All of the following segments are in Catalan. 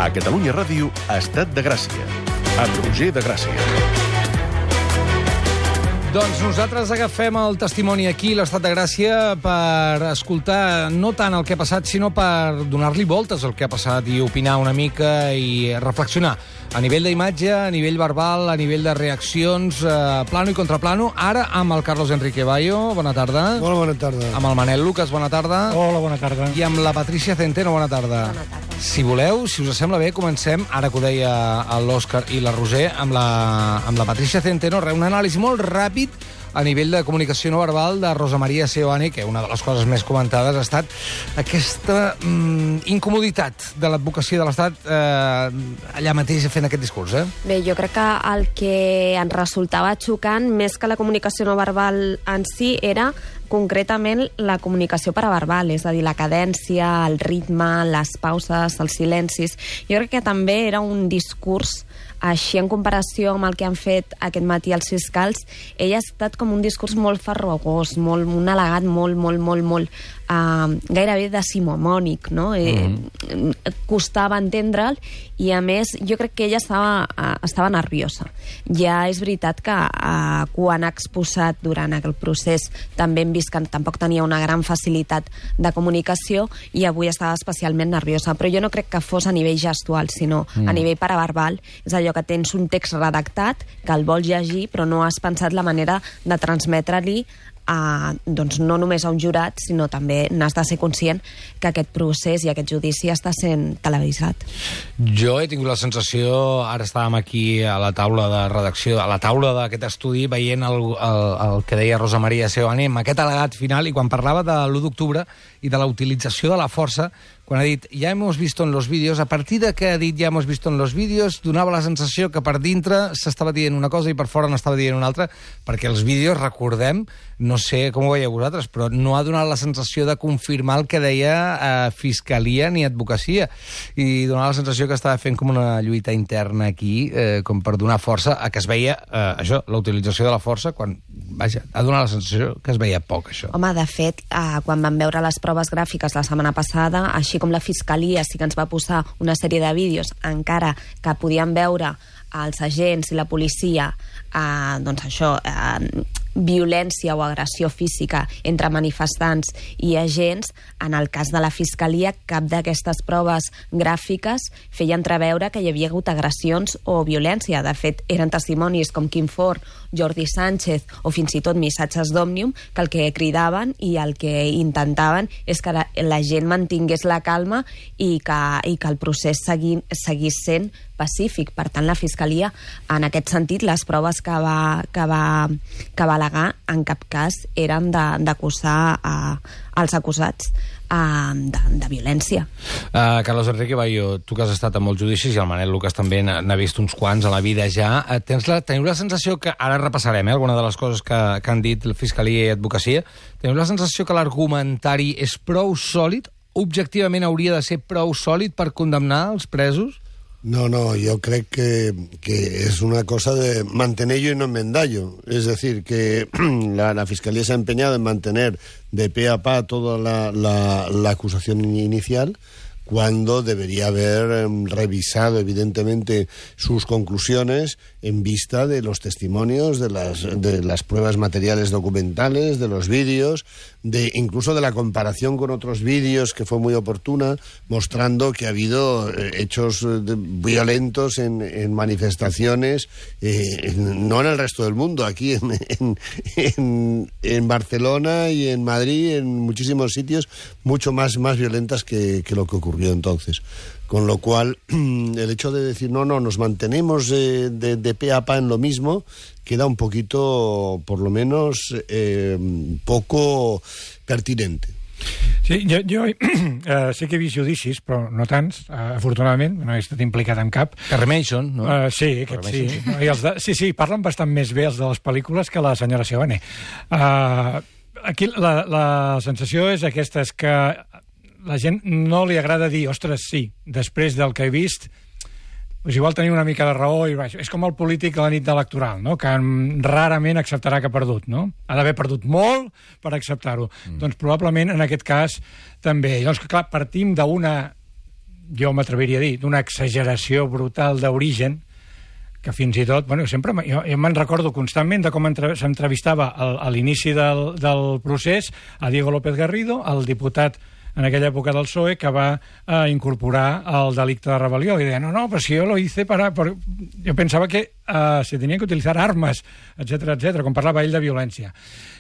A Catalunya Ràdio, Estat de Gràcia, amb Roger de Gràcia. Doncs nosaltres agafem el testimoni aquí, l'Estat de Gràcia, per escoltar no tant el que ha passat, sinó per donar-li voltes al que ha passat i opinar una mica i reflexionar a nivell d'imatge, a nivell verbal, a nivell de reaccions, plano i contraplano. Ara amb el Carlos Enrique Bayo, bona tarda. Hola, bona tarda. Amb el Manel Lucas, bona tarda. Hola, bona tarda. I amb la Patricia Centeno, bona tarda. Bona tarda. Si voleu, si us sembla bé, comencem, ara que ho deia l'Òscar i la Roser, amb la Patricia Centeno, un anàlisi molt ràpid a nivell de comunicació no verbal de Rosa Maria Seoane, que una de les coses més comentades ha estat aquesta incomoditat de l'advocacia de l'Estat allà mateix fent aquest discurs. Bé, jo crec que el que ens resultava xocant, més que la comunicació no verbal en si, era concretament la comunicació paraverbal, és a dir, la cadència, el ritme, les pauses, els silencis. Jo crec que també era un discurs així, en comparació amb el que han fet aquest matí els fiscals, ell ha estat com un discurs molt farragós, un al·legat molt gairebé decimonònic, no? Costava entendre'l i, a més, jo crec que ella estava nerviosa. Ja és veritat que quan ha exposat durant el procés també hem vist que tampoc tenia una gran facilitat de comunicació i avui estava especialment nerviosa, però jo no crec que fos a nivell gestual, sinó a nivell paraverbal. És allò que tens un text redactat, que el vols llegir, però no has pensat la manera de transmetre-li doncs no només a un jurat, sinó també n'has de ser conscient que aquest procés i aquest judici està sent televisat. Jo he tingut la sensació, ara estàvem aquí a la taula de redacció, a la taula d'aquest estudi, veient el que deia Rosa Maria Seoane amb aquest al·legat final, i quan parlava de l'1 d'octubre i de la utilització de la força, quan ha dit, ya hemos visto en los vídeos, a partir de que ha dit ya hemos visto en los vídeos, donava la sensació que per dintre s'estava dient una cosa i per fora n'estava dient una altra, perquè els vídeos, recordem, no sé com ho veieu vosaltres, però no ha donat la sensació de confirmar el que deia Fiscalia ni Advocacia, i donava la sensació que estava fent com una lluita interna aquí, com per donar força a que es veia, això, la utilització de la força, quan, vaja, ha donat la sensació que es veia poc, això. Home, de fet, quan vam veure les proves gràfiques la setmana passada, així com la Fiscalia sí que ens va posar una sèrie de vídeos, encara que podíem veure els agents i la policia, doncs això, violència o agressió física entre manifestants i agents, en el cas de la Fiscalia, cap d'aquestes proves gràfiques feia entreveure que hi havia hagut agressions o violència. De fet, eren testimonis com Quim Forn, Jordi Sánchez o fins i tot missatges d'Òmnium que el que cridaven i el que intentaven és que la gent mantingués la calma i que el procés seguís sent pacífic. Per tant, la Fiscalia, en aquest sentit, les proves que va al·legar en cap cas eren d'acusar als acusats de violència. Carlos Enrique Bayo, tu que has estat en molts judicis i el Manel Lucas també n'ha vist uns quants a la vida ja, teniu la sensació que, ara repassarem alguna de les coses que han dit la Fiscalia i Advocacia, teniu la sensació que l'argumentari és prou sòlid, objectivament hauria de ser prou sòlid per condemnar els presos? No, yo creo que es una cosa de mantenerlo y no enmendarlo. Es decir, que la Fiscalía se ha empeñado en mantener de pe a pa toda la acusación inicial, cuando debería haber revisado, evidentemente, sus conclusiones en vista de los testimonios, de las pruebas materiales documentales, de los vídeos, incluso de la comparación con otros vídeos, que fue muy oportuna, mostrando que ha habido hechos violentos en manifestaciones, no en el resto del mundo, aquí en Barcelona y en Madrid, en muchísimos sitios, mucho más violentas que lo que ocurrió entonces. Con lo cual, el hecho de decir, no, nos mantenemos de pe a pa en lo mismo, queda un poquito, por lo menos, poco pertinente. Sí, jo sé que he vist judicis, però no tants, afortunadament, no he estat implicat en cap. Que remeixen, no? Sí, aquest sí. Sí, parlen bastant més bé els de les pel·lícules que la senyora Seoane. Aquí la sensació és aquesta, és que la gent no li agrada dir, ostres, sí, després del que he vist, doncs igual tenia una mica de raó, i és com el polític a la nit electoral, no? Que rarament acceptarà que ha perdut, no? Ha d'haver perdut molt per acceptar-ho. Doncs probablement en aquest cas també. Llavors, clar, partim d'una jo m'atreviria a dir, d'una exageració brutal d'origen, que fins i tot, bueno, sempre jo me'n recordo constantment de com s'entrevistava a l'inici del procés a Diego López Garrido, el diputat en aquella època del PSOE, que va incorporar el delicte de rebel·lió. I deia, no, però si jo lo hice jo pensava que se tenien que utilitzar armes, etc, com parlava ell de violència.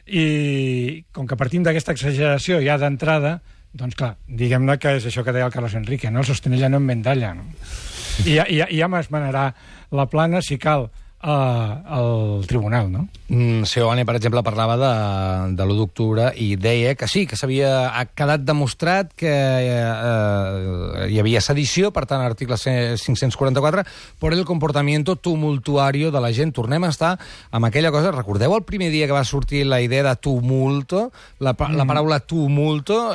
I com que partim d'aquesta exageració ja d'entrada, doncs clar, diguem-ne que és això que deia el Carlos Enrique, no? El sostenella no enmendalla, no? I ja m'esmenarà la plana, si cal, al tribunal, no? Seoane, per exemple, parlava de l'1 d'octubre i deia que sí, que ha quedat demostrat que hi havia sedició, per tant, article 544, por el comportamiento tumultuario de la gent. Tornem a estar amb aquella cosa. Recordeu el primer dia que va sortir la idea de tumulto, la paraula tumulto?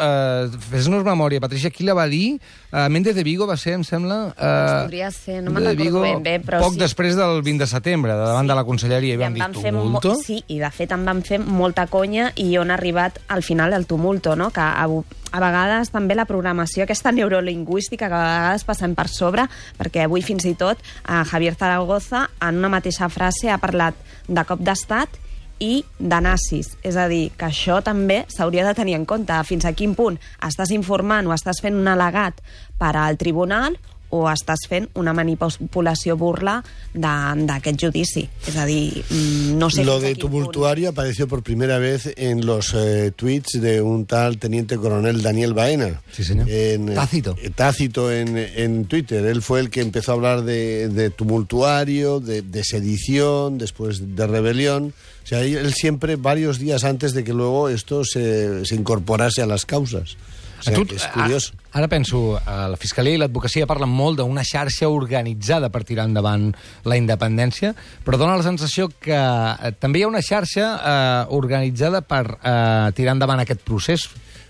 Fes-nos memòria, Patricia, qui la va dir? Méndez de Vigo va ser, em sembla... Podria ser, no me'n recordo ben bé, però poc després del 20 de setembre, davant de la conselleria, i van dir tumulto. Sí, i de fet en van fer molta conya i on ha arribat al final el tumulto, no? Que a vegades també la programació aquesta neurolingüística que a vegades passem per sobre, perquè avui fins i tot Javier Zaragoza en una mateixa frase ha parlat de cop d'estat i de nazis. És a dir, que això també s'hauria de tenir en compte. Fins a quin punt estàs informant o estàs fent un al·legat per al tribunal o estàs fent una manipulació burla d'aquest judici. És a dir, no sé... Lo de tumultuario apareció por primera vez en los tweets de un tal teniente coronel Daniel Baena. Sí, señor. Tácito en Twitter. Él fue el que empezó a hablar de tumultuario, de sedición, después de rebelión. O sea, él siempre, varios días antes de que luego esto se incorporase a las causas. O sea, és curiós. Ara penso, la Fiscalia i l'advocacia parlen molt d'una xarxa organitzada per tirar endavant la independència, però dona la sensació que també hi ha una xarxa organitzada per tirar endavant aquest procés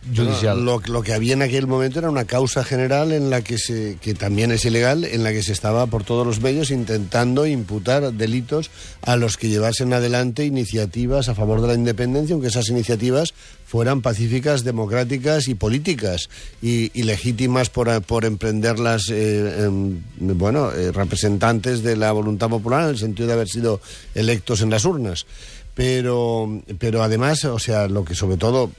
judicial. Lo que había en aquel momento era una causa general en la que también es ilegal, en la que se estaba por todos los medios intentando imputar delitos a los que llevasen adelante iniciativas a favor de la independencia, aunque esas iniciativas fueran pacíficas, democráticas y políticas, y legítimas por emprenderlas representantes de la voluntad popular, en el sentido de haber sido electos en las urnas. Pero además, o sea, lo que sobre todo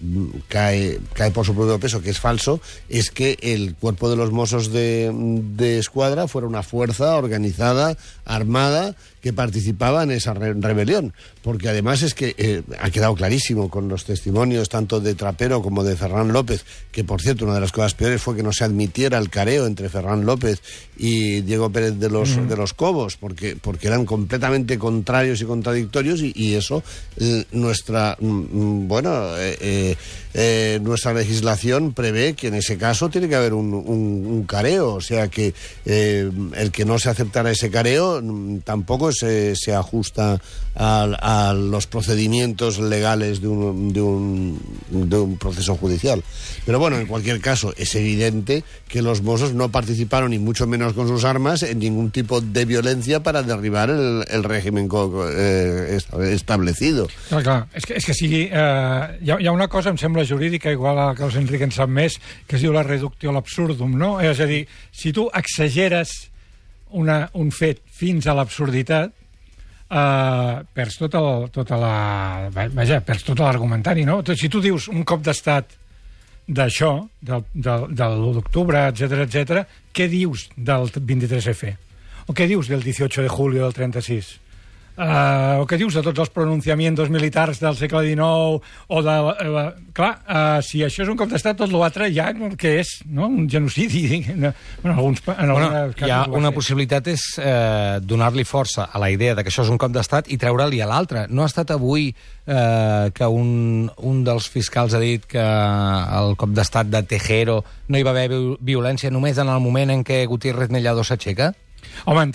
cae por su propio peso, que es falso, es que el cuerpo de los Mossos de Escuadra fuera una fuerza organizada, armada, que participaba en esa rebelión. Porque además es que ha quedado clarísimo con los testimonios tanto de Trapero como de Ferran López, que por cierto una de las cosas peores fue que no se admitiera el careo entre Ferran López y Diego Pérez de los Cobos, porque eran completamente contrarios y contradictorios, y eso nuestra legislación prevé que en ese caso tiene que haber un careo, o sea que el que no se aceptara ese careo tampoco se ajusta a los procedimientos legales de un proceso judicial. Pero bueno, en cualquier caso, es evidente que los Mossos no participaron, ni mucho menos con sus armas, en ningún tipo de violencia para derribar el régimen establecido. Clar. És que sigui... Hi ha una cosa, em sembla jurídica, igual a Carlos Enrique en sap més, que es diu la reductio ad absurdum, no? És a dir, si tu exageres un fet fins a l'absurditat, perds perds tot l'argumentari, no? Si tu dius un cop d'estat d'això, de l'1 d'octubre, etc., què dius del 23F? O què dius del 18 de julio del 36? O què dius de tots els pronunciamientos militars del segle XIX o de... Clar, si això és un cop d'estat, tot l'altre ja que és, no? Un genocidi. Hi ha una possibilitat, és donar-li força a la idea de que això és un cop d'estat i treure-li a l'altre. No ha estat avui que un dels fiscals ha dit que el cop d'estat de Tejero no hi va haver violència només en el moment en què Gutiérrez Mellado s'aixeca? Home,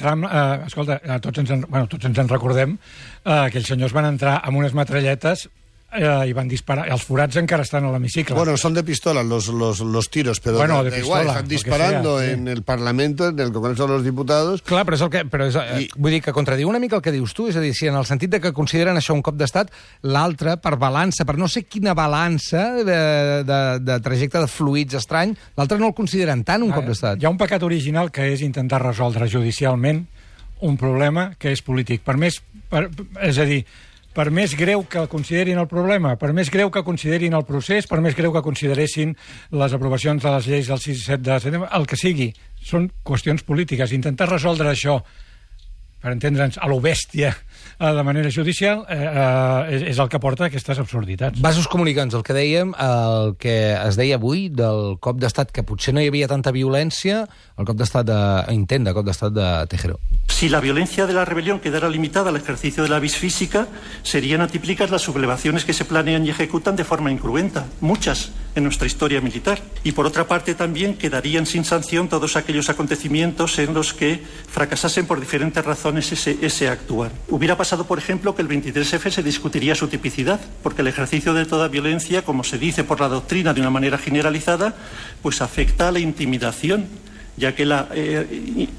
escolta, tots ens en recordem que els senyors van entrar amb unes metralletes i van disparar. Els forats encara estan a l'hemicicle. Bueno, son de pistola los tiros, pero bueno, da igual, están disparando sea, en el Parlamento, en el Congreso de los Diputados... Clar, però vull dir que contradiu una mica el que dius tu, és a dir, si en el sentit de que consideren això un cop d'estat, l'altre, per balança, per no sé quina balança de trajecte de fluids estrany, l'altre no el consideren tant un cop d'estat. Hi ha un pecat original que és intentar resoldre judicialment un problema que és polític. És a dir, per més greu que considerin el problema, per més greu que considerin el procés, per més greu que consideressin les aprovacions de les lleis del 6 i 7 de setembre, el que sigui, són qüestions polítiques. Intentar resoldre això, per entendre'ns, a lo bèstia, de manera judicial, és el que porta a aquestes absurditats. Vasos comunicants, el que dèiem, el que es deia avui del cop d'estat, que potser no hi havia tanta violència, el cop d'estat intent de cop d'estat de Tejero. Si la violencia de la rebelión quedara limitada al ejercicio de la vis física, serían atípicas las sublevaciones que se planean y ejecutan de forma incruenta, muchas en nuestra historia militar. Y por otra parte también quedarían sin sanción todos aquellos acontecimientos en los que fracasasen por diferentes razones ese actuar. Hubiera pasado, por ejemplo, que el 23F se discutiría su tipicidad, porque el ejercicio de toda violencia, como se dice por la doctrina de una manera generalizada, pues afecta a la intimidación, ya que la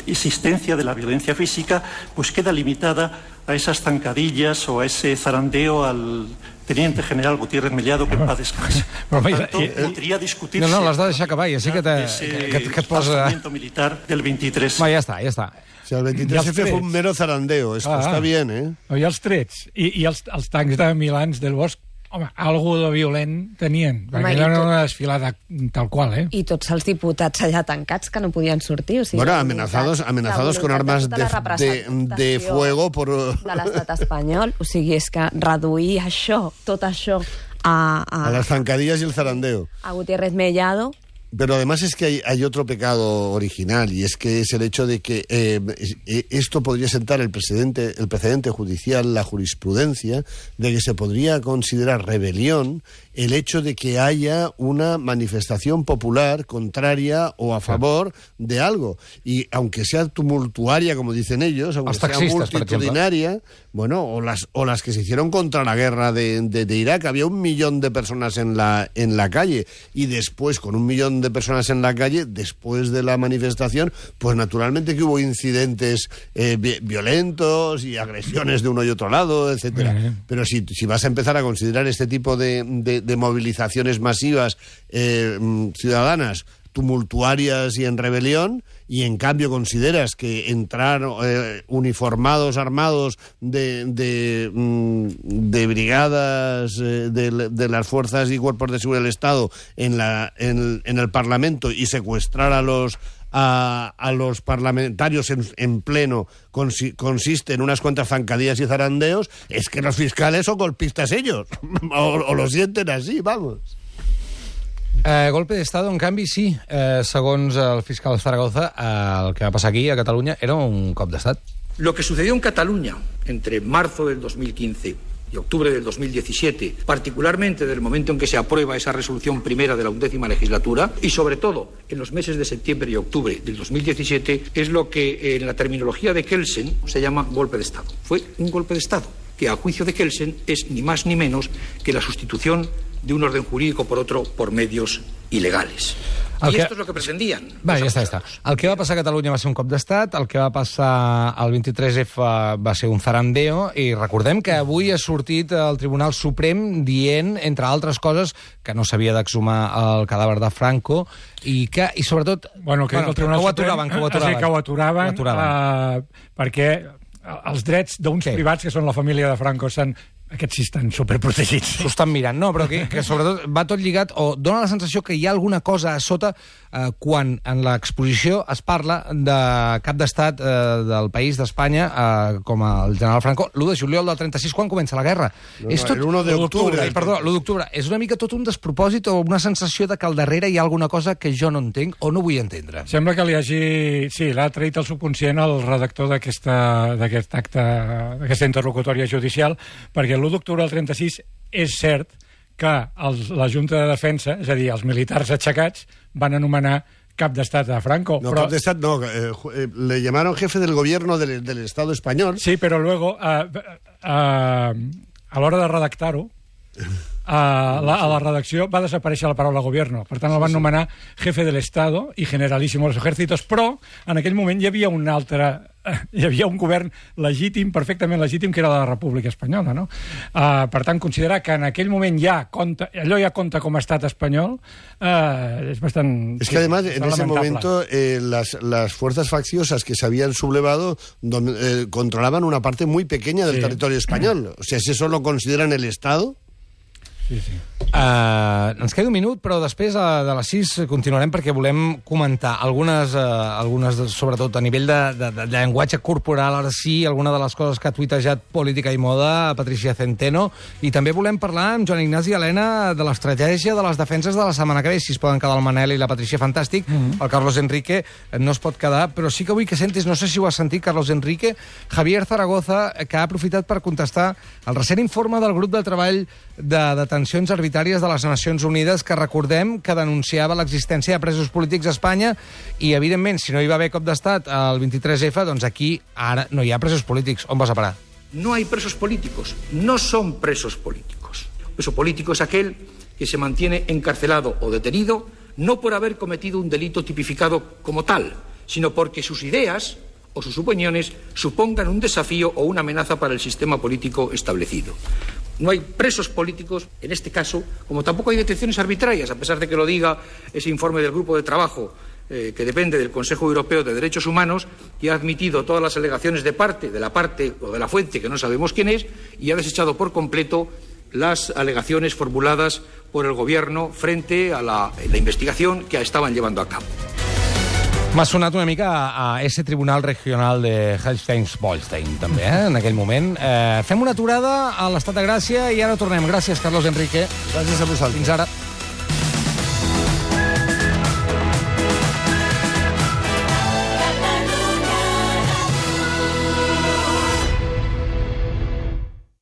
existencia de la violencia física pues queda limitada a esas zancadillas o a ese zarandeo al teniente general Gutiérrez Mellado, que en paz descanse. Por tanto, podria discutir-se... No, l'has de deixar acabar, ja sé que et posa... militar del 23. Va, ja està. O sea, el 23F fue un mero zarandeo, está bien, ¿eh? I els trets, i els tancs de Milans del Bosch, home, algo de violent tenien, perquè era una desfilada tal qual, ¿eh? I tots els diputats allà tancats que no podien sortir. O sigui, bueno, amenazados con armas de fuego por... de l'estat espanyol. O sigui, és que reduir això, tot això, a las zancadillas y el zarandeo. A Gutiérrez Mellado... Pero además es que hay otro pecado original, y es que es el hecho de que esto podría sentar el precedente judicial, la jurisprudencia, de que se podría considerar rebelión el hecho de que haya una manifestación popular contraria o a favor de algo. Y aunque sea tumultuaria, como dicen ellos, aunque sea multitudinaria, bueno, o las que se hicieron contra la guerra de Irak, había 1 millón de personas en la calle, y después, con 1 millón de personas en la calle, después de la manifestación, pues naturalmente que hubo incidentes violentos y agresiones de uno y otro lado, etcétera. Pero si vas a empezar a considerar este tipo de movilizaciones masivas ciudadanas tumultuarias y en rebelión, y en cambio consideras que entrar uniformados, armados de brigadas de las fuerzas y cuerpos de seguridad del Estado en el Parlamento y secuestrar a los parlamentarios en pleno consiste en unas cuantas zancadillas y zarandeos, es que los fiscales son golpistas ellos, o lo sienten así, vamos. Golpe d'Estado, en canvi, sí. Segons el fiscal Zaragoza, el que va passar aquí, a Catalunya, era un cop d'Estat. Lo que sucedió en Cataluña entre marzo del 2015 y octubre del 2017, particularmente del momento en que se aprueba esa resolución primera de la 11ª legislatura, y sobre todo en los meses de septiembre y octubre del 2017, es lo que en la terminología de Kelsen se llama golpe de Estado. Fue un golpe de Estado, que a juicio de Kelsen es ni más ni menos que la sustitución de un orden jurídico por otro por medios ilegales. I esto és el que pretendien. Va, ja està. El que va passar a Catalunya va ser un cop d'estat, el que va passar al 23F va ser un zarandeo, i recordem que avui ha sortit el Tribunal Suprem dient, entre altres coses, que no s'havia d'exhumar el cadàver de Franco, i sobretot... Bueno, que el Tribunal Suprem que ho aturaven perquè els drets d'uns privats, que són la família de Franco, aquests sí estan superprotegits. S'ho estan mirant, no, però que sobretot va tot lligat, o dona la sensació que hi ha alguna cosa a sota quan en l'exposició es parla de cap d'estat del país d'Espanya, com el general Franco, l'1 de juliol del 36, quan comença la guerra. És tot l'1 d'octubre. Perdó, l'1 d'octubre. És una mica tot un despropòsit o una sensació de que al darrere hi ha alguna cosa que jo no entenc o no vull entendre. Sembla que li hagi... Sí, l'ha traït el subconscient el redactor d'aquest acte, d'aquesta interlocutòria judicial, perquè l'1 d'octubre del 36 és cert que la Junta de Defensa, és a dir, els militars aixecats, van anomenar cap d'estat a Franco. No, cap d'estat no, le llamaron jefe del gobierno del Estado español. Sí, però luego, a l'hora de redactar-ho, a la redacció va desaparèixer la paraula gobierno. Per tant, el van nomenar jefe del Estado i generalísimo de los ejércitos, però en aquell moment hi havia un govern legítim, perfectament legítim, que era la República Espanyola, no? Per tant, considerar que en aquell moment allò ja compta com a estat espanyol es bastant... Es que además, en ese momento, las fuerzas facciosas que se habían sublevado controlaban una parte muy pequeña del territorio español. O sea, si eso lo consideran el Estado... Sí. Ens queda un minut, però després de les 6 continuarem perquè volem comentar algunes sobretot a nivell de llenguatge corporal, ara sí, alguna de les coses que ha tuitejat Política i Moda Patricia Centeno, i també volem parlar amb Joan Ignasi i Helena de l'estratègia de les defenses de la setmana que ve. Si es poden quedar el Manel i la Patricia, fantàstic. El Carlos Enrique no es pot quedar, però sí que vull que sentis, no sé si ho has sentit, Carlos Enrique, Javier Zaragoza, que ha aprofitat per contestar el recent informe del grup de treball de detencions arbitràries de les Nacions Unides, que recordem que denunciava l'existència de presos polítics a Espanya, i evidentment, si no hi va haver cop d'estat al 23F, doncs aquí ara no hi ha presos polítics. On vas a parar? No hay presos políticos, no son presos políticos. Preso político es aquel que se mantiene encarcelado o detenido no por haber cometido un delito tipificado como tal, sino porque sus ideas o sus opiniones supongan un desafío o una amenaza para el sistema político establecido. No hay presos políticos, en este caso, como tampoco hay detenciones arbitrarias, a pesar de que lo diga ese informe del grupo de trabajo que depende del Consejo Europeo de Derechos Humanos, y ha admitido todas las alegaciones de la parte o de la fuente, que no sabemos quién es, y ha desechado por completo las alegaciones formuladas por el Gobierno frente a la investigación que estaban llevando a cabo. M'ha sonat una mica a ese tribunal regional de Holstein-Bolstein, també, en aquell moment. Fem una aturada a l'Estat de Gràcia i ara tornem. Gràcies, Carlos Enrique. Gràcies a vosaltres. Fins ara.